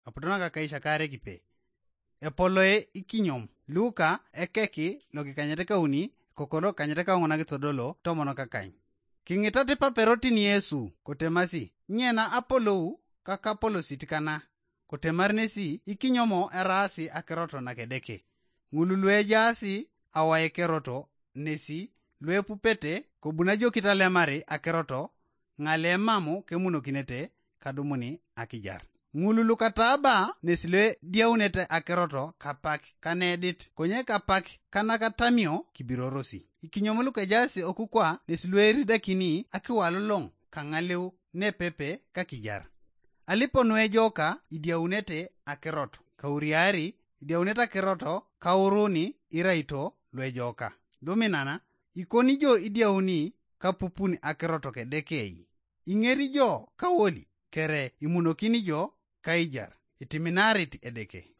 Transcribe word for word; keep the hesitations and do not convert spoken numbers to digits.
Aputo nakakaishakare kipe. Epoloe ikinyom. Luka ekeki lokikanyet kauni, kokolo kanyet kaung'ona kitodolo tomon kakany. King'itat ipaperotin Yesu, kotemasi, "Nyena apolou kakapolosit kana?" Kotemar nesi, "Ikinyomo eraasi akirot nakedeke. Ng'ulu luejaasi awaekeroto nesi, luepupete kobunajokit alemari akeroto, ng'ale mamu kemunokinete kadumuni akijar. Ng'ulu lukataaba nesi luediaunete akeroto kapak kanedit, konye kapak kanakatamio kibirorosi. Ikinyom lukejaasi okukwa nesi lueridakini akiwalolong' kang'aleu nepepe kakijar. Alipo nuejoka idiaunete akeroto kauriari, idiaunete akeroto kauruni iraito luejoka. Luminana, ikoni jo idiauni kapupun akeroto kedekei. Ing'eri jo kawoli kere imunokini jo kaijar, itiminarit edeke.